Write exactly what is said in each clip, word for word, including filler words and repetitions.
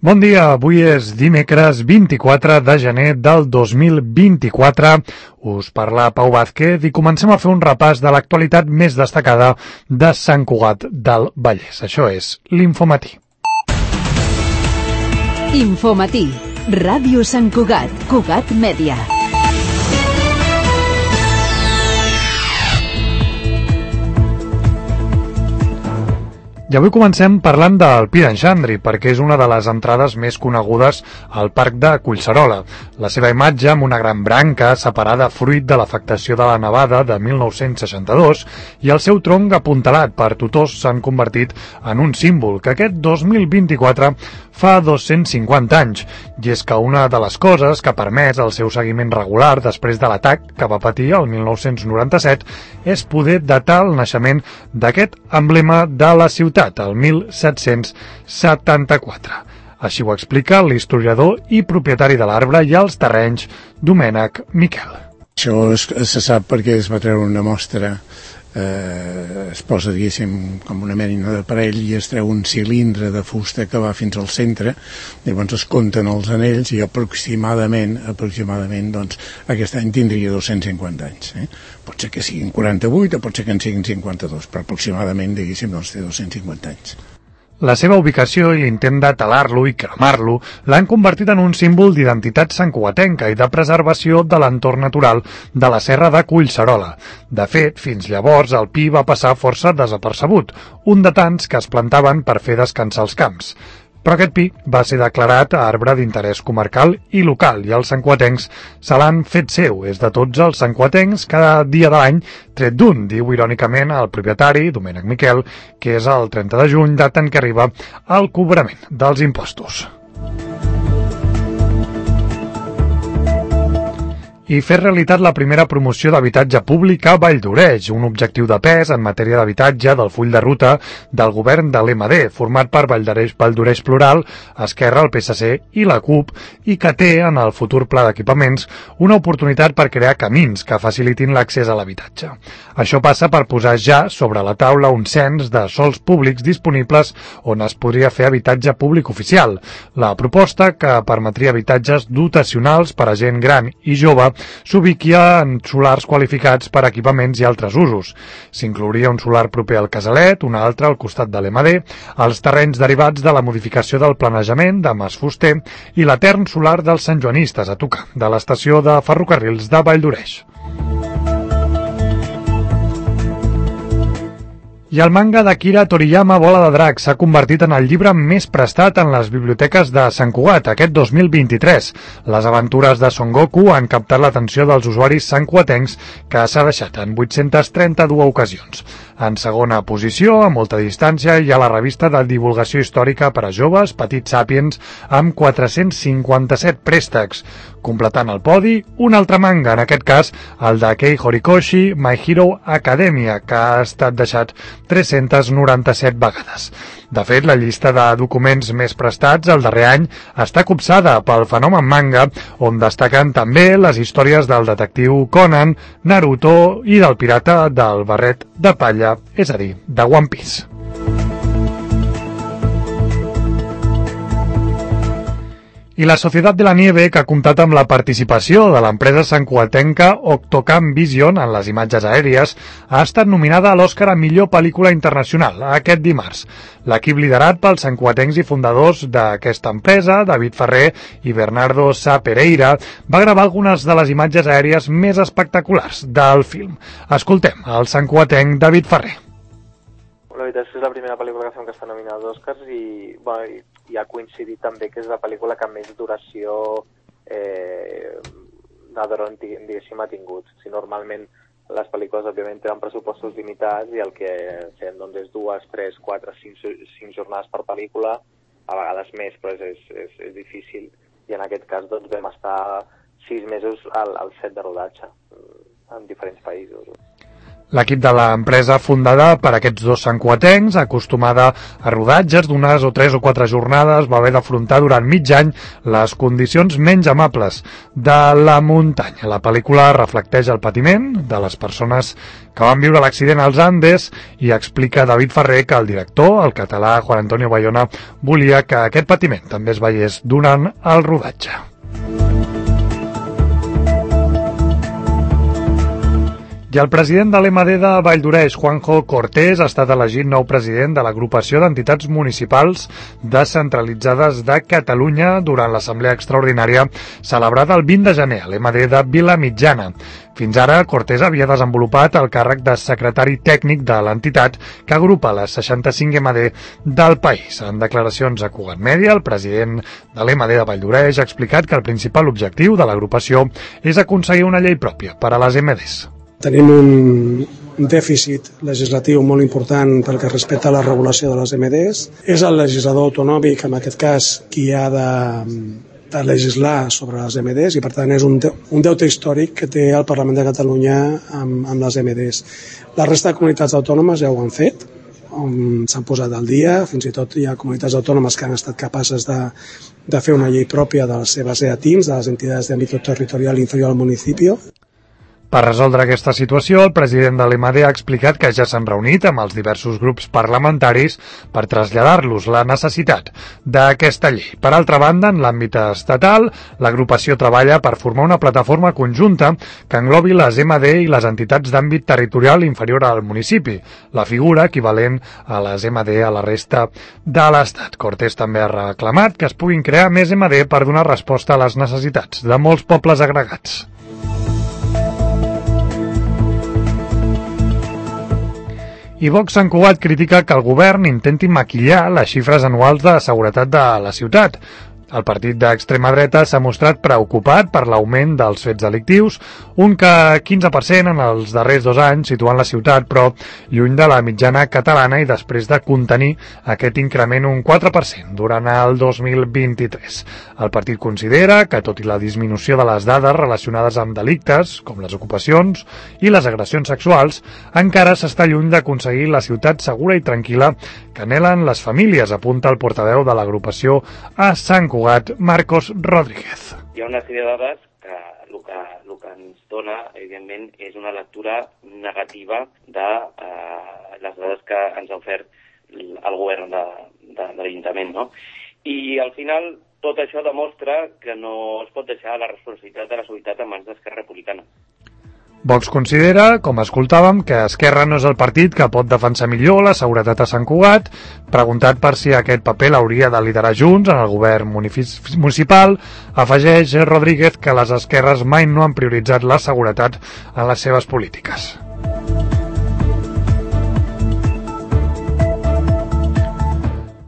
Bon dia, avui és dimecres vint-i-quatre de gener del dos mil vint-i-quatre. Us parla Pau Vázquez i comencem a fer un repàs de l'actualitat més destacada de Sant Cugat del Vallès. Això és l'Infomatí. Infomatí, Ràdio Sant Cugat, Cugat Mèdia. I avui comencem parlant del Pi d'en Xandri, perquè és una de les entrades més conegudes al parc de Collserola. La seva imatge, amb una gran branca separada fruit de l'afectació de la nevada de mil nou-cents seixanta-dos, i el seu tronc apuntalat per tutors s'han convertit en un símbol que aquest dos mil vint-i-quatre fa dos-cents cinquanta anys, i és que una de les coses que ha permès el seu seguiment regular després de l'atac que va patir el mil nou-cents noranta-set és poder datar el naixement d'aquest emblema de la ciutat, el mil set-cents setanta-quatre. Així ho explica l'historiador i propietari de l'arbre i els terrenys, Domènec Miquel. Això es, se sap perquè es va treure una mostra, eh, es posa, diguéssim, com una mena d'aparell i es treu un cilindre de fusta que va fins al centre, llavors es compten els anells i aproximadament, aproximadament, doncs, aquest any tindria dos-cents cinquanta anys. Eh? Pot ser que siguin quaranta-vuit o pot ser que en siguin cinquanta-dos, però aproximadament, diguéssim, doncs té dos-cents cinquanta anys. La seva ubicació i l'intent de talar-lo i cremar-lo l'han convertit en un símbol d'identitat santcugatenca i de preservació de l'entorn natural de la serra de Collserola. De fet, fins llavors el pi va passar força desapercebut, un de tants que es plantaven per fer descansar els camps. Però aquest pi va ser declarat arbre d'interès comarcal i local i els santcugatencs se l'han fet seu. És de tots els santcugatencs cada dia de l'any tret d'un, diu irònicament el propietari, Domènec Miquel, que és el trenta de juny, data en què arriba el cobrament dels impostos. I fer realitat la primera promoció d'habitatge públic a Valldoreix, un objectiu de pes en matèria d'habitatge del full de ruta del govern de l'E M D, format per Valldoreix, Valldoreix Plural, Esquerra, el P S C i la CUP, i que té, en el futur pla d'equipaments, una oportunitat per crear camins que facilitin l'accés a l'habitatge. Això passa per posar ja sobre la taula un cens de sols públics disponibles on es podria fer habitatge públic oficial. La proposta, que permetria habitatges dotacionals per a gent gran i jove, s'ubiquia en solars qualificats per equipaments i altres usos. S'inclouria un solar proper al Casalet, un altre al costat de l'E M D, els terrenys derivats de la modificació del planejament de Mas Fuster i l'etern solar dels santjoanistes a tocar de l'estació de ferrocarrils de Valldoreix. I el manga d'Akira Toriyama, Bola de Drac, s'ha convertit en el llibre més prestat en les biblioteques de Sant Cugat aquest dos mil vint-i-tres. Les aventures de Son Goku han captat l'atenció dels usuaris santcugatencs, que s'ha deixat en vuit-cents trenta-dues ocasions. En segona posició, a molta distància, hi ha la revista de divulgació històrica per a joves, Petit Sapiens, amb quatre-cents cinquanta-set préstecs. Completant el podi, un altre manga, en aquest cas el de Kei Horikoshi, My Hero Academia, que ha estat deixat tres-centes noranta-set vegades. De fet, la llista de documents més prestats el darrer any està copsada pel fenomen manga, on destaquen també les històries del detectiu Conan, Naruto i del pirata del barret de palla, és a dir, de One Piece. I la Societat de la Nieve, que ha comptat amb la participació de l'empresa santcugatenca Octocam Vision en les imatges aèries, ha estat nominada a l'Oscar a millor pel·lícula internacional aquest dimarts. L'equip liderat pels santcugatencs i fundadors d'aquesta empresa, David Ferrer i Bernardo Sá Pereira, va gravar algunes de les imatges aèries més espectaculars del film. Escoltem el santcugatenc David Ferrer. La veritat és que és la primera pel·lícula que fem que està nominada als Oscars i, bueno, i, i ha coincidit també que és la pel·lícula que més duració eh, de dron, diguéssim, ha tingut. Si normalment les pel·lícules, òbviament, tenen pressupostos limitats i el que fem doncs, és dues, tres, quatre, cinc, cinc jornades per pel·lícula, a vegades més, però és, és, és difícil. I en aquest cas doncs, vam estar sis mesos al, al set de rodatge en diferents països. L'equip de l'empresa, fundada per aquests dos santcugatencs, acostumada a rodatges d'unes o tres o quatre jornades, va haver d'afrontar durant mig any les condicions menys amables de la muntanya. La pel·lícula reflecteix el patiment de les persones que van viure l'accident als Andes i explica David Ferrer que el director, el català Juan Antonio Bayona, volia que aquest patiment també es veiés durant el rodatge. I el president de l'E M A D de Valldoreix, Juanjo Cortés, ha estat elegit nou president de l'agrupació d'entitats municipals descentralitzades de Catalunya durant l'assemblea extraordinària celebrada el vint de gener a l'E M A D de Vilamitjana. Fins ara, Cortés havia desenvolupat el càrrec de secretari tècnic de l'entitat que agrupa les seixanta-cinc E M A D del país. En declaracions a Cugat Mèdia, el president de l'E M A D de Valldoreix ha explicat que el principal objectiu de l'agrupació és aconseguir una llei pròpia per a les E M A Ds. Tenim un dèficit legislatiu molt important pel que respecta a la regulació de les E M A Ds. És el legislador autonòmic, en aquest cas, qui ha de, de legislar sobre les E M A Ds i, per tant, és un, de, un deute històric que té el Parlament de Catalunya amb, amb les E M A Ds. La resta de comunitats autònomes ja ho han fet, s'han posat al dia, fins i tot hi ha comunitats autònomes que han estat capaces de, de fer una llei pròpia de les seves E A T I Ms, de les entitats d'àmbit territorial inferior al municipi. Per resoldre aquesta situació, el president de l'E M A D ha explicat que ja s'han reunit amb els diversos grups parlamentaris per traslladar-los la necessitat d'aquesta llei. Per altra banda, en l'àmbit estatal, l'agrupació treballa per formar una plataforma conjunta que englobi les E M A D i les entitats d'àmbit territorial inferior al municipi, la figura equivalent a les E M A D a la resta de l'Estat. Cortés també ha reclamat que es puguin crear més E M A D per donar resposta a les necessitats de molts pobles agregats. I Vox Sant Cugat critica que el govern intenti maquillar les xifres anuals de seguretat de la ciutat. El partit d'extrema dreta s'ha mostrat preocupat per l'augment dels fets delictius, un que quinze per cent en els darrers dos anys, situant la ciutat, però lluny de la mitjana catalana i després de contenir aquest increment un quatre per cent durant el dos mil vint-i-tres. El partit considera que, tot i la disminució de les dades relacionades amb delictes, com les ocupacions i les agressions sexuals, encara s'està lluny d'aconseguir la ciutat segura i tranquil·la que anhelen les famílies, apunta el portaveu de l'agrupació a Sant Cugat, Marcos Rodríguez. Hi ha una sèrie de dades que el que, el que ens dona, evidentment, és una lectura negativa de eh, les dades que ens ha ofert el govern de, de, de l'Ajuntament, no? I al final tot això demostra que no es pot deixar la responsabilitat de la seguretat en mans d'Esquerra Republicana. Vox considera, com escoltàvem, que Esquerra no és el partit que pot defensar millor la seguretat a Sant Cugat. Preguntat per si aquest paper l'hauria de liderar Junts en el govern municipal, afegeix Rodríguez que les esquerres mai no han prioritzat la seguretat en les seves polítiques.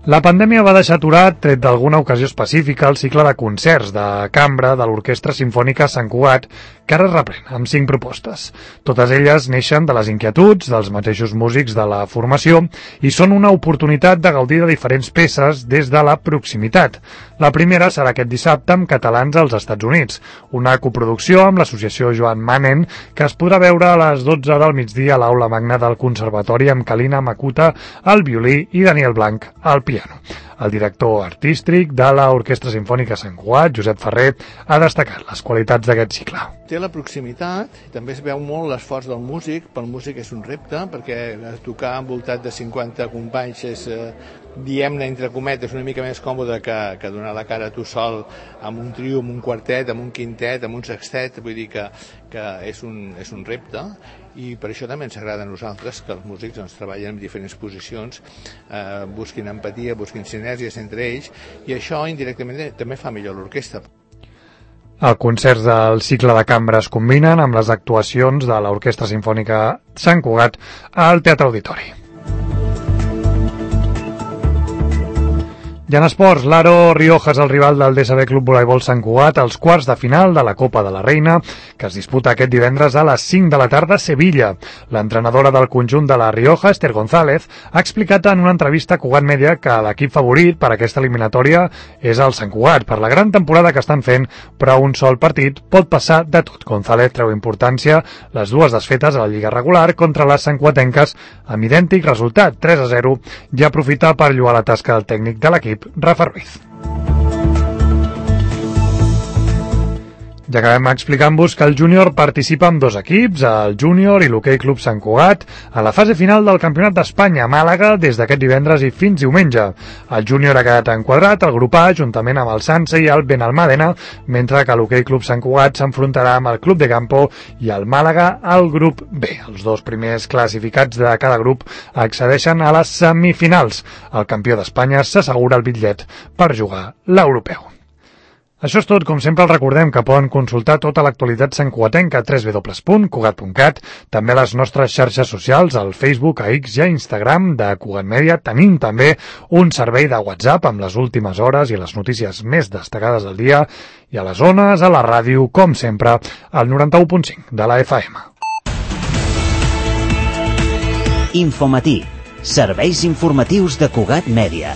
La pandèmia va deixar aturat, tret d'alguna ocasió específica, el cicle de concerts de cambra de l'Orquestra Simfònica Sant Cugat, que ara es reprèn amb cinc propostes. Totes elles neixen de les inquietuds dels mateixos músics de la formació i són una oportunitat de gaudir de diferents peces des de la proximitat. La primera serà aquest dissabte amb Catalans als Estats Units, una coproducció amb l'associació Joan Manen que es podrà veure a les dotze del migdia a l'Aula Magna del Conservatori amb Kalina Makuta al violí i Daniel Blanc al piano. El director artístic de l'Orquestra Simfònica Sant Cugat, Josep Ferrer, ha destacat les qualitats d'aquest cicle. Té la proximitat, també es veu molt l'esforç del músic, pel músic és un repte, perquè tocar envoltat de cinquanta companys és, eh, diem-ne entre cometes, una mica més còmode que, que donar la cara a tu sol amb un trio, amb un quartet, amb un quintet, amb un sextet, vull dir que, que és, un, és un repte, i per això també ens agrada a nosaltres que els músics doncs, treballen en diferents posicions, eh, busquin empatia, busquin sinergies entre ells, i això indirectament també fa millor l'orquestra. Els concerts del cicle de cambra es combinen amb les actuacions de l'Orquestra Simfònica Sant Cugat al Teatre Auditori. I en esports, l'Aro Rioja és el rival del D S B Club Voleibol Sant Cugat als quarts de final de la Copa de la Reina, que es disputa aquest divendres a les cinc de la tarda a Sevilla. L'entrenadora del conjunt de la Rioja, Esther González, ha explicat en una entrevista a Cugat Media que l'equip favorit per a aquesta eliminatòria és el Sant Cugat, per la gran temporada que estan fent, però un sol partit pot passar de tot. González treu importància les dues desfetes a la Lliga regular contra les santcuatenques amb idèntic resultat, tres a zero, i aprofita per lloar la tasca del tècnic de l'equip, Rafa Ruiz. Ja acabem explicant-vos que el júnior participa amb dos equips, el júnior i l'Hoquei Club Sant Cugat, a la fase final del Campionat d'Espanya a Màlaga des d'aquest divendres i fins diumenge. El júnior ha quedat enquadrat al grup A juntament amb el Sanse i el Benalmàdena, mentre que l'Hoquei Club Sant Cugat s'enfrontarà amb el Club de Campo i el Màlaga al grup B. Els dos primers classificats de cada grup accedeixen a les semifinals. El campió d'Espanya s'assegura el bitllet per jugar l'europeu. Això és tot. Com sempre, els recordem que poden consultar tota l'actualitat santcugatenca a w w w punt cugat punt cat, també a les nostres xarxes socials, al Facebook, a X i a Instagram de Cugat Media. Tenim també un servei de WhatsApp amb les últimes hores i les notícies més destacades del dia, i a les zones, a la ràdio, com sempre, al noranta-u punt cinc de la F M. Infomatí. Serveis informatius de Cugat Mèdia.